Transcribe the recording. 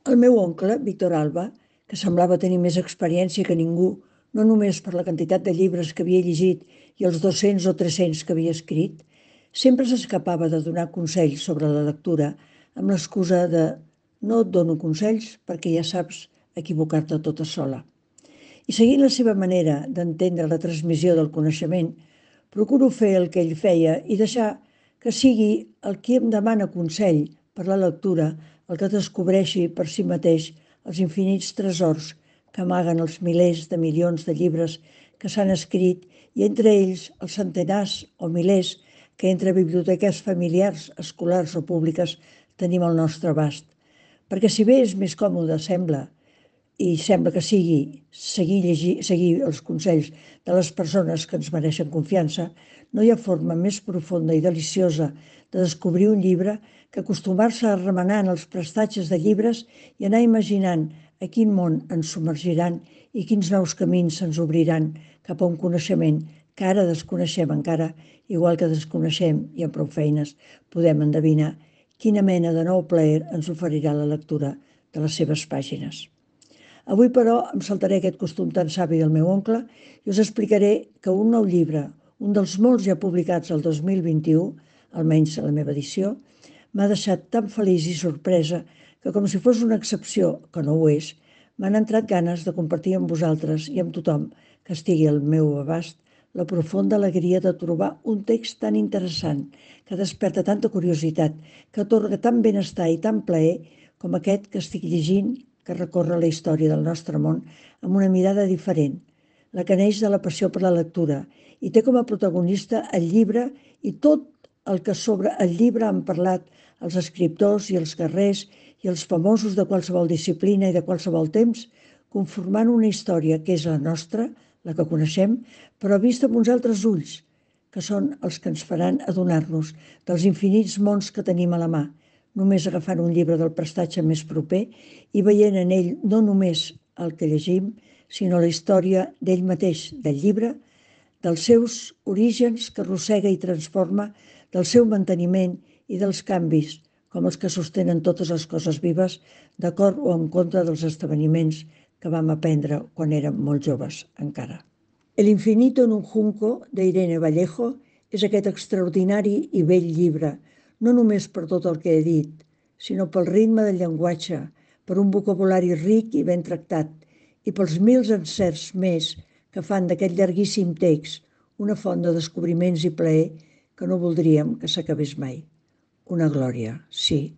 El meu oncle, Víctor Alba, que semblava tenir més experiència que ningú, no només per la quantitat de llibres que havia llegit i els 200 o 300 que havia escrit, sempre s'escapava de donar consells sobre la lectura amb l'excusa de no et dono consells perquè ja saps equivocar-te tota sola. I seguint la seva manera d'entendre la transmissió del coneixement, procuro fer el que ell feia i deixar que sigui el qui em demana consell per la lectura el que descobreixi per si mateix els infinits tresors que amaguen els milers de milions de llibres que s'han escrit i entre ells els centenars o milers que entre biblioteques familiars, escolars o públiques tenim al nostre abast. Perquè si bé és més còmode, sembla que sigui seguir els consells de les persones que ens mereixen confiança, no hi ha forma més profunda i deliciosa de descobrir un llibre que acostumar-se a remenar en els prestatges de llibres i anar imaginant a quin món ens submergiran i quins nous camins se'ns obriran cap a un coneixement que ara desconeixem encara, igual que desconeixem, i amb prou feines podem endevinar, quina mena de nou plaer ens oferirà la lectura de les seves pàgines. Avui, però, em saltaré aquest costum tan savi del meu oncle i us explicaré que un nou llibre, un dels molts ja publicats el 2021, almenys a la meva edició, m'ha deixat tan feliç i sorpresa que, com si fos una excepció, que no ho és, m'han entrat ganes de compartir amb vosaltres i amb tothom que estigui al meu abast la profunda alegria de trobar un text tan interessant, que desperta tanta curiositat, que atorga tant benestar i tant plaer com aquest que estic llegint, que recorre la història del nostre món amb una mirada diferent, la que neix de la passió per la lectura i té com a protagonista el llibre i tot el que sobre el llibre han parlat els escriptors i els guerrers i els famosos de qualsevol disciplina i de qualsevol temps, conformant una història que és la nostra, la que coneixem, però vista amb uns altres ulls, que són els que ens faran adonar-nos dels infinits mons que tenim a la mà, només agafant un llibre del prestatge més proper i veient en ell no només el que llegim, sinó la història d'ell mateix, del llibre, dels seus orígens que arrossega i transforma, del seu manteniment i dels canvis, com els que sostenen totes les coses vives, d'acord o en contra dels esdeveniments que vam aprendre quan érem molt joves encara. El infinito en un junco, d'Irene Vallejo, és aquest extraordinari i bell llibre, no només per tot el que he dit, sinó pel ritme del llenguatge, per un vocabulari ric i ben tractat, i pels mils encerts més que fan d'aquest llarguíssim text una font de descobriments i plaer que no voldríem que s'acabés mai. Una glòria, sí,